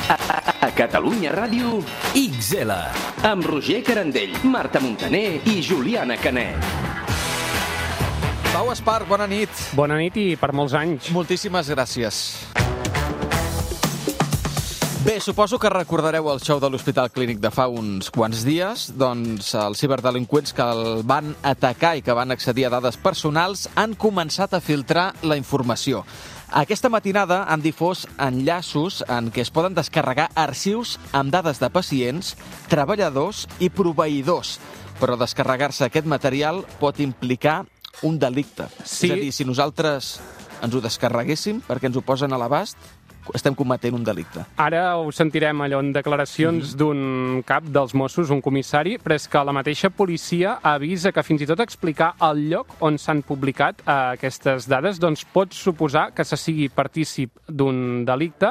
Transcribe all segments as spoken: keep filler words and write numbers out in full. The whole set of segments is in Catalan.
A, a Catalunya Ràdio, X L. Amb Roger Carandell, Marta Montaner i Juliana Canet. Pau Espart, bona nit. Bona nit i per molts anys. Moltíssimes gràcies. Bé, suposo que recordareu el show de l'Hospital Clínic de fa uns quants dies. Doncs els ciberdelinqüents que el van atacar i que van accedir a dades personals han començat a filtrar la informació. Aquesta matinada han difós enllaços en què es poden descarregar arxius amb dades de pacients, treballadors i proveïdors. Però descarregar-se aquest material pot implicar un delicte. Sí. És a dir, si nosaltres ens ho descarreguéssim perquè ens ho posen a l'abast, estem cometent un delicte. Ara ho sentirem allò en declaracions mm-hmm. d'un cap dels Mossos, un comissari, però és que la mateixa policia avisa que fins i tot explicar el lloc on s'han publicat eh, aquestes dades doncs pot suposar que se sigui partícip d'un delicte,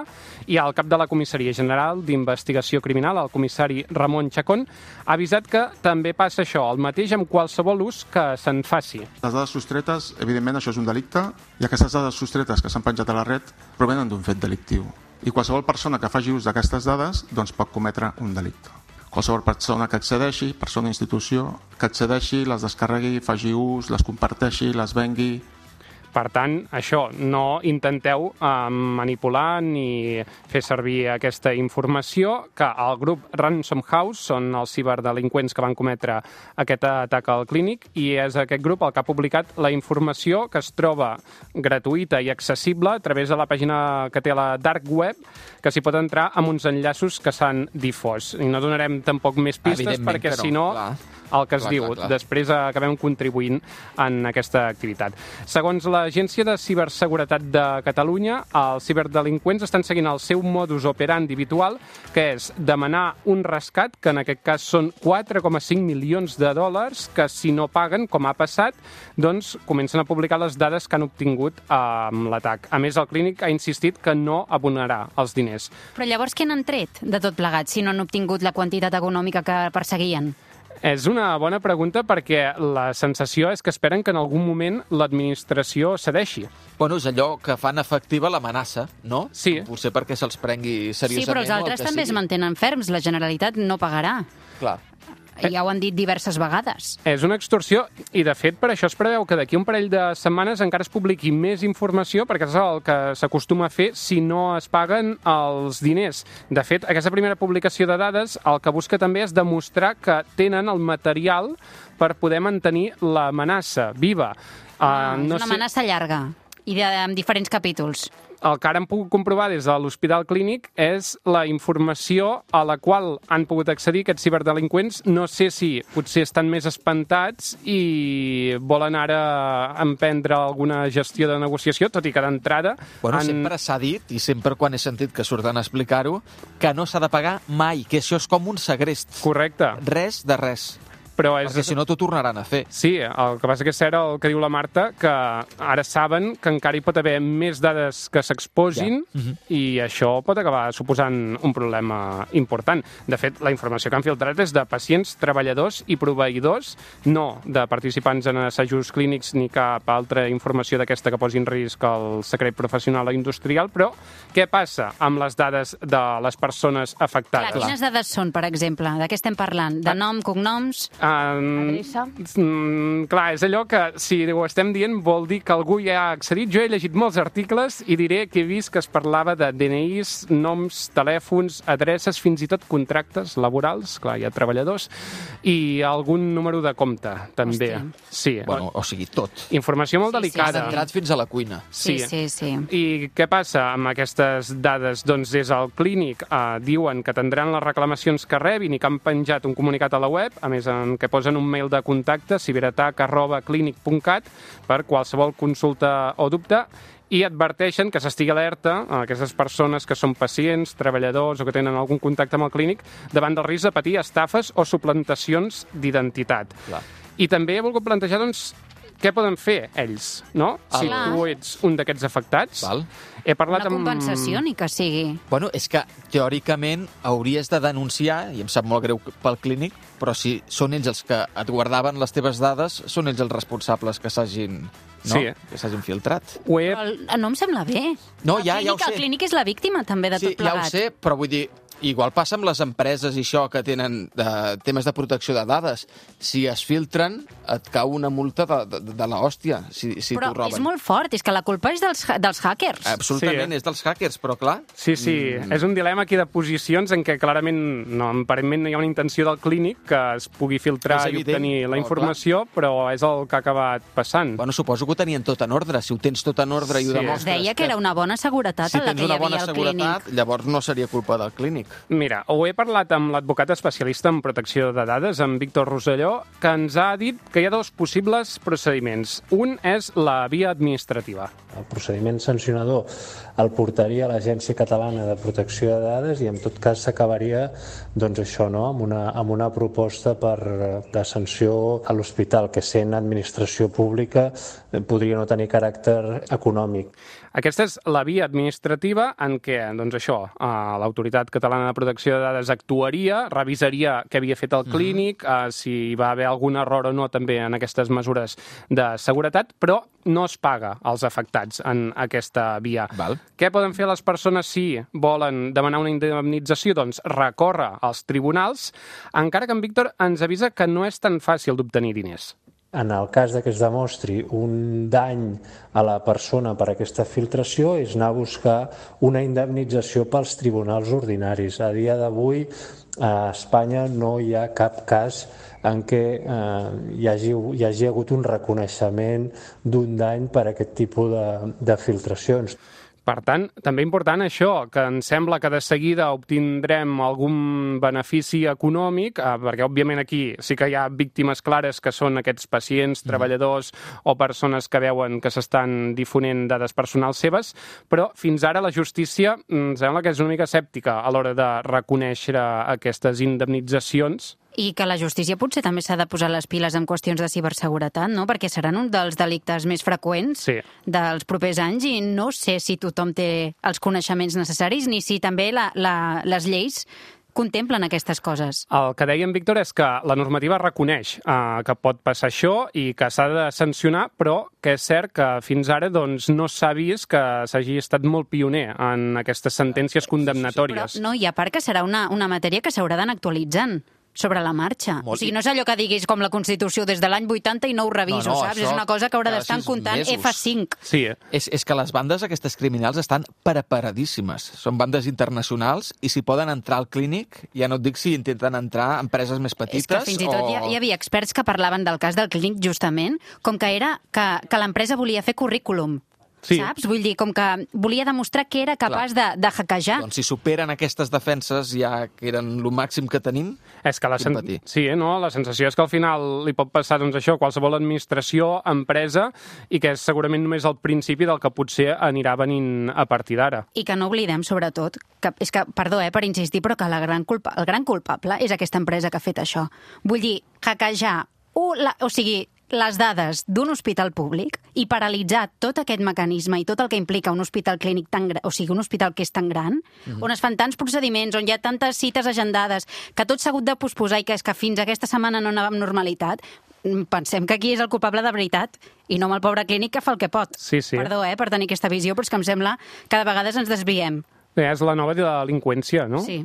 i el cap de la Comissaria General d'Investigació Criminal, el comissari Ramon Chacón, ha avisat que també passa això, el mateix amb qualsevol ús que se'n faci. Les dades sostretes, evidentment, això és un delicte, i aquestes dades sostretes que s'han penjat a la red provenen d'un fet delictiu. I qualsevol persona que faci ús d'aquestes dades doncs pot cometre un delicte. Qualsevol persona que accedeixi, persona o institució, que accedeixi, les descarregui, faci ús, les comparteixi, les vengui. Per tant, això, no intenteu eh, manipular ni fer servir aquesta informació, que el grup Ransom House són els ciberdelinqüents que van cometre aquest atac al clínic, i és aquest grup el que ha publicat la informació que es troba gratuïta i accessible a través de la pàgina que té la Dark Web, que s'hi pot entrar amb uns enllaços que s'han difós. I no donarem tampoc més pistes perquè, no, si no, clar. el que es clar, diu, clar, clar. després acabem contribuint en aquesta activitat. Segons l'Agència de Ciberseguretat de Catalunya, els ciberdelinqüents estan seguint el seu modus operandi habitual, que és demanar un rescat, que en aquest cas són quatre coma cinc milions de dòlars, que si no paguen, com ha passat, doncs comencen a publicar les dades que han obtingut amb l'atac. A més, el clínic ha insistit que no abonarà els diners. Però llavors què n'han tret de tot plegat, si no han obtingut la quantitat econòmica que perseguien? És una bona pregunta perquè la sensació és que esperen que en algun moment l'administració cedeixi. Bueno, és allò que fan efectiva l'amenaça, no? Sí. Potser perquè se'ls prengui seriosament. Sí, però els altres també sigui. es mantenen ferms. La Generalitat no pagarà. Clar. Ja ho han dit diverses vegades. És una extorsió i, de fet, per això es preveu que d'aquí un parell de setmanes encara es publiqui més informació, perquè és el que s'acostuma a fer si no es paguen els diners. De fet, aquesta primera publicació de dades el que busca també és demostrar que tenen el material per poder mantenir l'amenaça viva. Ah, uh, no és una sé... amenaça llarga i de, amb diferents capítols. El que ara han pogut comprovar des de l'Hospital Clínic és la informació a la qual han pogut accedir aquests ciberdelinqüents. No sé si potser estan més espantats i volen ara emprendre alguna gestió de negociació, tot i que d'entrada... Bueno, han... sempre s'ha dit, i sempre quan he sentit que surten a explicar-ho, que no s'ha de pagar mai, que això és com un segrest. Correcte. Res de res. Però és... Perquè si no t'ho tornaran a fer. Sí, el que passa que és cert el que diu la Marta, que ara saben que encara hi pot haver més dades que s'exposin, ja. uh-huh. i això pot acabar suposant un problema important. De fet, la informació que han filtrat és de pacients, treballadors i proveïdors, no de participants en assajos clínics ni cap altra informació d'aquesta que posi en risc el secret professional o industrial, però què passa amb les dades de les persones afectades? Clar, quines dades són, per exemple? De què estem parlant? De nom, cognoms... Um, Adreça? Mm, clar, és allò que, si ho estem dient, vol dir que algú ja ha accedit. Jo he llegit molts articles i diré que he vist que es parlava de D N Is, noms, telèfons, adreces, fins i tot contractes laborals, clar, hi ha treballadors, i algun número de compte, també. Hòstia. Sí. Bueno, o sigui, tot. Informació molt Sí, sí, delicada. Has entrat fins a la cuina. Sí, sí, sí. I què passa amb aquestes dades? Doncs des del clínic eh, diuen que atendran les reclamacions que rebin i que han penjat un comunicat a la web, a més en què posen un mail de contacte, ciberatac arroba clinic punt cat, per qualsevol consulta o dubte, i adverteixen que s'estigui alerta a aquestes persones que són pacients, treballadors o que tenen algun contacte amb el clínic davant del risc de patir estafes o suplantacions d'identitat. Clar. I també he volgut plantejar, doncs, què poden fer ells, no? Si Clar. tu ets un d'aquests afectats. Val. He parlat Una amb... compensació, ni que sigui. Bueno, és que teòricament hauries de denunciar, i em sap molt greu pel clínic, però si són ells els que et guardaven les teves dades, són ells els responsables que s'hagin, no? Sí. Que s'hagin filtrat. Ho he... Però el- no em sembla bé. No, El ja, ja ho clínic- sé. El clínic és la víctima, també, de Sí, tot plegat. ja ho sé, però vull dir, igual passa amb les empreses i això que tenen de, temes de protecció de dades. Si es filtren, et cau una multa de, de, de l'hòstia, si, si Però t'ho roben. és molt fort, és que la culpa és dels, ha- dels hackers. Absolutament, Sí, eh? és dels hackers, però clar... Sí, sí, mm. és un dilema aquí de posicions en què clarament, no, aparentment no hi ha una intenció del clínic que es pugui filtrar És i evident, obtenir la però, informació, però és el que ha acabat passant. Bueno, suposo que ho tenien tot en ordre. Si ho tens tot en ordre i ho Sí. demostres... Es deia que era una bona seguretat si en la tens que hi una havia bona al seguretat, clínic. llavors no seria culpa del clínic. Mira, ho he parlat amb l'advocat especialista en protecció de dades, en Víctor Rosselló, que ens ha dit que hi ha dos possibles procediments. Un és la via administrativa. El procediment sancionador el portaria a l'Agència Catalana de Protecció de Dades i en tot cas s'acabaria doncs això, no? amb, una, amb una proposta per, de sanció a l'hospital, que sent administració pública podria no tenir caràcter econòmic. Aquesta és la via administrativa en què, doncs això, eh, l'Autoritat Catalana de Protecció de Dades actuaria, revisaria què havia fet el clínic, eh, si hi va haver algun error o no també en aquestes mesures de seguretat, però no es paga als afectats en aquesta via. Val. Què poden fer les persones si volen demanar una indemnització? Doncs recórrer als tribunals, encara que en Víctor ens avisa que no és tan fàcil d'obtenir diners. En el cas de que es demostri un dany a la persona per aquesta filtració és anar a buscar una indemnització pels tribunals ordinaris. A dia d'avui a Espanya no hi ha cap cas en què eh, hi, hagi, hi hagi hagut un reconeixement d'un dany per aquest tipus de, de filtracions. Per tant, també important això, que em sembla que de seguida obtindrem algun benefici econòmic, eh, perquè òbviament aquí sí que hi ha víctimes clares que són aquests pacients, treballadors o persones que veuen que s'estan difonent dades personals seves, però fins ara la justícia em sembla que és una mica escèptica a l'hora de reconèixer aquestes indemnitzacions. I que la justícia potser també s'ha de posar les piles en qüestions de ciberseguretat, no? Perquè seran un dels delictes més freqüents Sí. dels propers anys i no sé si tothom té els coneixements necessaris ni si també la, la, les lleis contemplen aquestes coses. El que deia en Víctor és que la normativa reconeix eh, que pot passar això i que s'ha de sancionar, però que és cert que fins ara doncs, no s'ha vist que s'hagi estat molt pioner en aquestes sentències Però condemnatòries. no, i a part que serà una, una matèria que s'haurà d'anar actualitzant sobre la marxa. Molt. O sigui, no és allò que diguis com la Constitució des de l'any vuitanta i no ho reviso, No, no, saps? això És una cosa que haurà cada d'estar sis comptant mesos. F cinc. Sí, eh? És, és que les bandes aquestes criminals estan preparadíssimes. Són bandes internacionals i si poden entrar al clínic, ja no et dic si intenten entrar empreses més petites És que fins i tot o... hi, hi havia experts que parlaven del cas del clínic justament com que era que, que l'empresa volia fer currículum. Sí. Saps? Vull dir, com que volia demostrar que era capaç de, de hackejar. Doncs si superen aquestes defenses ja que eren el màxim que tenim, És que la, sen... Quin patir. sí, eh, no? La sensació és que al final li pot passar doncs, això a qualsevol administració, empresa, i que és segurament només el principi del que potser anirà venint a partir d'ara. I que no oblidem, sobretot, que és que, perdó eh, per insistir, però que la gran culpa, el gran culpable és aquesta empresa que ha fet això. Vull dir, hackejar, o, la, o sigui, les dades d'un hospital públic i paralitzar tot aquest mecanisme i tot el que implica un hospital clínic tan gran, o sigui, un hospital que és tan gran, mm-hmm. on es fan tants procediments, on hi ha tantes cites agendades, que tot s'ha hagut de posposar i que és que fins aquesta setmana no anava amb normalitat, pensem que aquí és el culpable de veritat i no amb el pobre clínic que fa el que pot. Sí, sí. Perdó, eh, per tenir aquesta visió, però és que em sembla que de vegades ens desviem. Bé, és la nova delinqüència, no? Sí.